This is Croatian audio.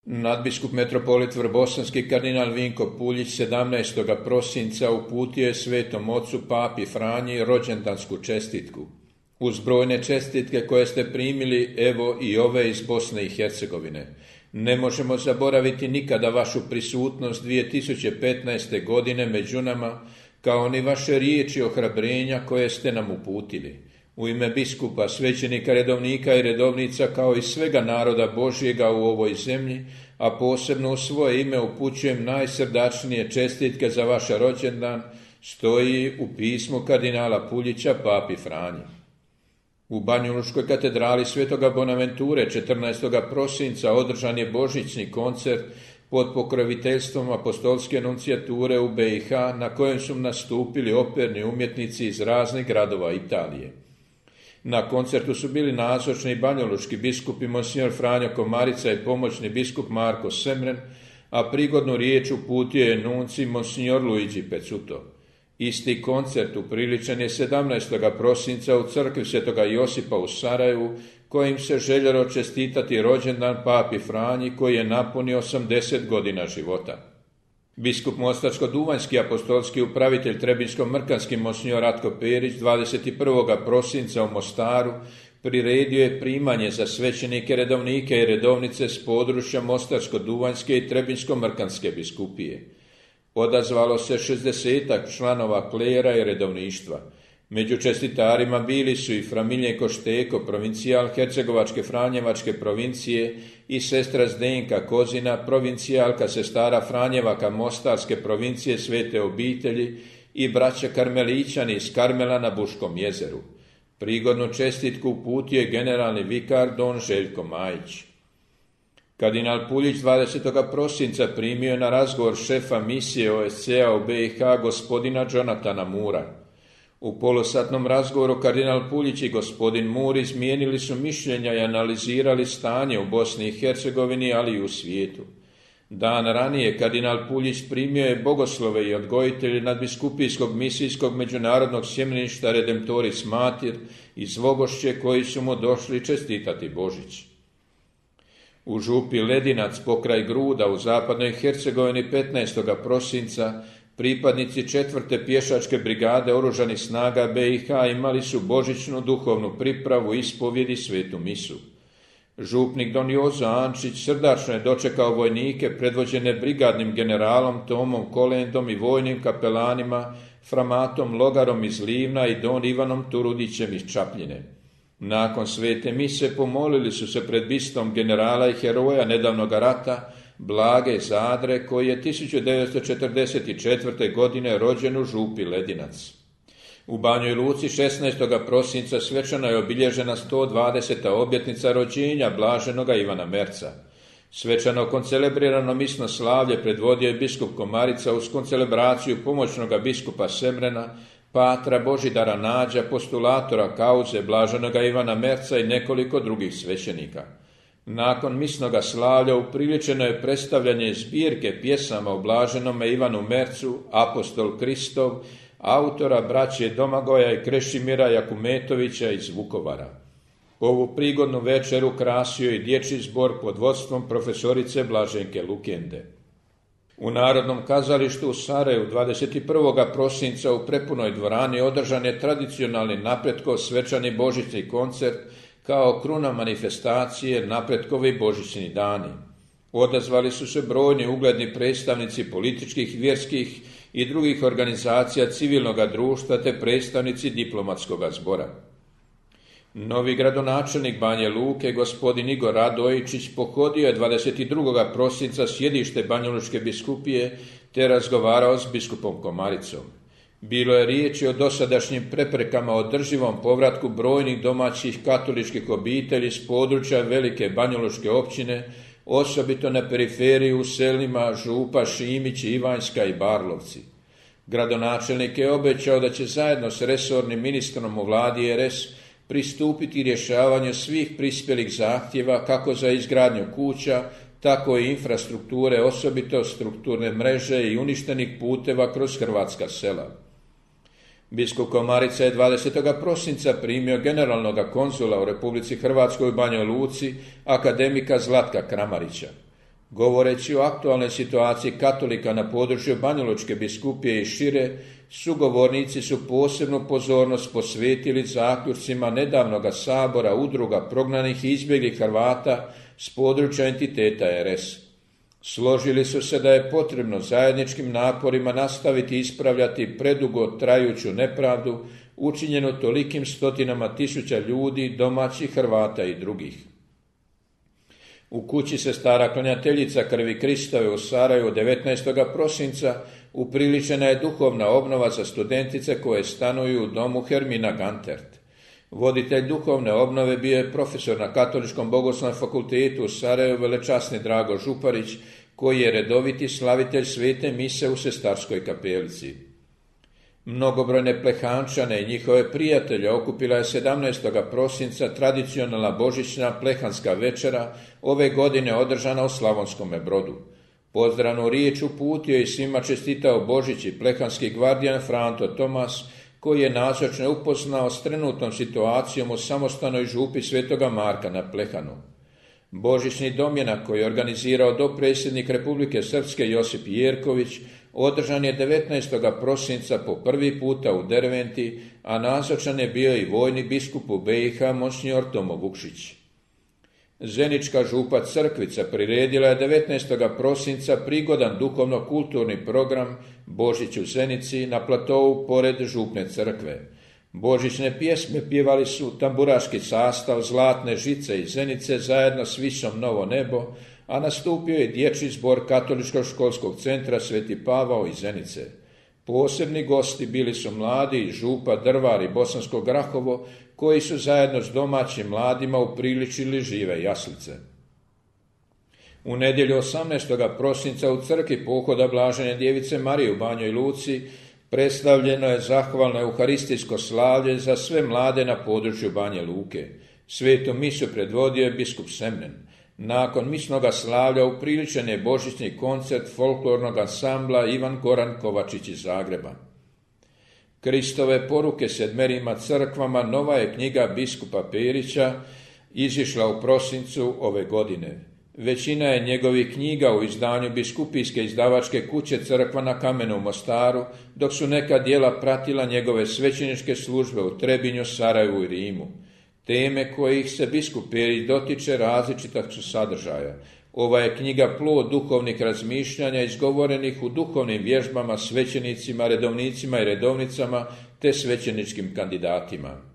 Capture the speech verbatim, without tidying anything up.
Nadbiskup metropolit Vrbosanski kardinal Vinko Puljić sedamnaestog prosinca uputio je Svetom Ocu Papi Franji rođendansku čestitku. Uz brojne čestitke koje ste primili, evo i ove iz Bosne i Hercegovine. Ne možemo zaboraviti nikada vašu prisutnost dvije tisuće petnaeste. godine među nama, kao ni vaše riječi ohrabrenja koje ste nam uputili. U ime biskupa, svećenika, redovnika i redovnica, kao i svega naroda Božjega u ovoj zemlji, a posebno u svoje ime upućujem najsrdačnije čestitke za vaš rođendan, stoji u pismu kardinala Puljića Papi Franji. U Banjalučkoj katedrali Svetoga Bonaventure četrnaestog prosinca održan je božićni koncert pod pokroviteljstvom apostolske nuncijature u B i H, na kojem su nastupili operni umjetnici iz raznih gradova Italije. Na koncertu su bili nazočni i banjalučki biskupi monsignor Franjo Komarica i pomoćni biskup Marko Semren, a prigodnu riječ uputio je nunci monsignor Luigi Pezzuto. Isti koncert upriličen je sedamnaestog prosinca u crkvi Svetoga Josipa u Sarajevu, kojim se željelo čestitati rođendan Papi Franji koji je napunio osamdeset godina života. Biskup Mostarsko-duvanjski apostolski upravitelj Trebinjsko-mrkanski monsignor Ratko Perić dvadeset prvog prosinca u Mostaru priredio je primanje za svećenike, redovnike i redovnice s područja Mostarsko-duvanjske i Trebinjsko-mrkanske biskupije. Odazvalo se šezdesetak članova klera i redovništva. Među čestitarima bili su i fra Miljenko Šteko, provincijal Hercegovačke Franjevačke provincije, i sestra Zdenka Kozina, provincijalka sestara Franjevaka Mostarske provincije Svete obitelji, i braća Karmelićani iz Karmela na Buškom jezeru. Prigodnu čestitku uputio je generalni vikar don Željko Majić. Kardinal Puljić dvadesetog prosinca primio je na razgovor šefa misije O S C-a u B i H gospodina Jonatana Mura. U polosatnom razgovoru kardinal Puljić i gospodin Mur izmijenili su mišljenja i analizirali stanje u Bosni i Hercegovini, ali i u svijetu. Dan ranije kardinal Puljić primio je bogoslove i odgojitelje nadbiskupijskog misijskog međunarodnog sjemeništa Redemptoris Mater iz Vogošće, koji su mu došli čestitati Božić. U župi Ledinac pokraj Gruda u zapadnoj Hercegovini petnaestog prosinca pripadnici četvrte pješačke brigade oružanih snaga B i H imali su božićnu duhovnu pripravu, ispovjedi, svetu misu. Župnik don Jozo Ančić srdačno je dočekao vojnike predvođene brigadnim generalom Tomom Kolendom i vojnim kapelanima Framatom Logarom iz Livna i don Ivanom Turudićem iz Čapljine. Nakon svete mise pomolili su se pred bistom generala i heroja nedavnog rata Blage Zadre, koji je tisuću devetsto četrdeset četvrte. godine rođen u župi Ledinac. U Banjoj Luci šesnaestog prosinca svečano je obilježena sto dvadeseta obljetnica rođenja blaženoga Ivana Merca. Svečano koncelebrirano misno slavlje predvodio je biskup Komarica uz koncelebraciju pomoćnoga biskupa Semrena, patra Božidara Nađa, postulatora kauze blaženoga Ivana Merca i nekoliko drugih svećenika. Nakon misnoga slavlja upriličeno je predstavljanje zbirke pjesama o blaženome Ivanu Mercu, Apostol Kristov, autora braće Domagoja i Krešimira Jakumetovića iz Vukovara. Ovu prigodnu večeru krasio i dječji zbor pod vodstvom profesorice Blaženke Lukende. U Narodnom kazalištu u Sarajevu dvadeset prvog prosinca u prepunoj dvorani održan je tradicionalni Napretkov svečani božićni koncert kao kruna manifestacije Napretkovi božićni dani. Odazvali su se brojni ugledni predstavnici političkih, vjerskih i drugih organizacija civilnog društva te predstavnici diplomatskog zbora. Novi gradonačelnik Banje Luke, gospodin Igor Radojičić, pohodio je dvadeset drugog prosinca sjedište Banjalučke biskupije te razgovarao s biskupom Komaricom. Bilo je riječi o dosadašnjim preprekama održivom povratku brojnih domaćih katoličkih obitelji s područja velike banjalučke općine, osobito na periferiji u selima Župa, Šimić, Ivanjska i Barlovci. Gradonačelnik je obećao da će zajedno s resornim ministrom u vladi R S pristupiti rješavanju svih prispjelih zahtjeva kako za izgradnju kuća, tako i infrastrukture, osobito strukturne mreže i uništenih puteva kroz hrvatska sela. Biskup Komarica je dvadesetog prosinca primio generalnog konzula u Republici Hrvatskoj u Banjoj Luci, akademika Zlatka Kramarića. Govoreći o aktualnoj situaciji katolika na području Banjalučke biskupije i šire, sugovornici su posebnu pozornost posvetili zaključcima nedavnoga sabora udruga prognanih i izbjeglih Hrvata s područja entiteta R S. Složili su se da je potrebno zajedničkim naporima nastaviti ispravljati predugo trajuću nepravdu učinjenu tolikim stotinama tisuća ljudi, domaćih Hrvata i drugih. U kući se stara klanjateljica krvi Kristove u Sarajevu devetnaestog prosinca upriličena je duhovna obnova za studentice koje stanuju u domu Hermina Gantert. Voditelj duhovne obnove bio je profesor na Katoličkom bogoslovnom fakultetu u Sarajevu velečasni Drago Župarić, koji je redoviti slavitelj svete mise u Sestarskoj kapelici. Mnogobrojne plehančane i njihove prijatelje okupila je sedamnaestog prosinca tradicionalna božićna plehanska večera, ove godine održana u Slavonskome Brodu. Pozdravnu riječ uputio i svima čestitao Božić i plehanski gvardijan Franto Tomas, koji je nazočne upoznao s trenutnom situacijom u samostanoj župi Svetoga Marka na Plehanu. Božićni domjenak koji je organizirao dopredsjednik Republike Srpske Josip Jerković održan je devetnaestog prosinca po prvi puta u Derventi, a nazočan je bio i vojni biskup u B i H monsinjor Tomo Vukšić. Zenička župa Crkvica priredila je devetnaestog prosinca prigodan duhovno-kulturni program Božić u Zenici na platovu pored župne crkve. Božićne pjesme pjevali su tamburaški sastav Zlatne žice iz Zenice zajedno s Visom Novo nebo, a nastupio je dječji zbor Katoličkog školskog centra Sveti Pavao iz Zenice. Posebni gosti bili su mladi iz župa Drvar i Bosansko Grahovo, koji su zajedno s domaćim mladima upriličili žive jaslice. U nedjelju osamnaestog prosinca u crkvi pohoda Blažene djevice Marije u Banjoj Luci predstavljeno je zahvalno euharistijsko slavlje za sve mlade na području Banje Luke. Svetu misu predvodio je biskup Semnen. Nakon misnoga slavlja upriličen je božićni koncert folklornog ansambla Ivan Goran Kovačić iz Zagreba. Kristove poruke sedmerima crkvama nova je knjiga biskupa Perića, izišla u prosincu ove godine. Većina je njegovih knjiga u izdanju biskupijske izdavačke kuće Crkva na Kamenu u Mostaru, dok su neka djela pratila njegove svećeničke službe u Trebinju, Sarajevu i Rimu. Teme kojih se biskup Perić dotiče različitog su sadržaja. Ova je knjiga plod duhovnih razmišljanja izgovorenih u duhovnim vježbama svećenicima, redovnicima i redovnicama te svećeničkim kandidatima.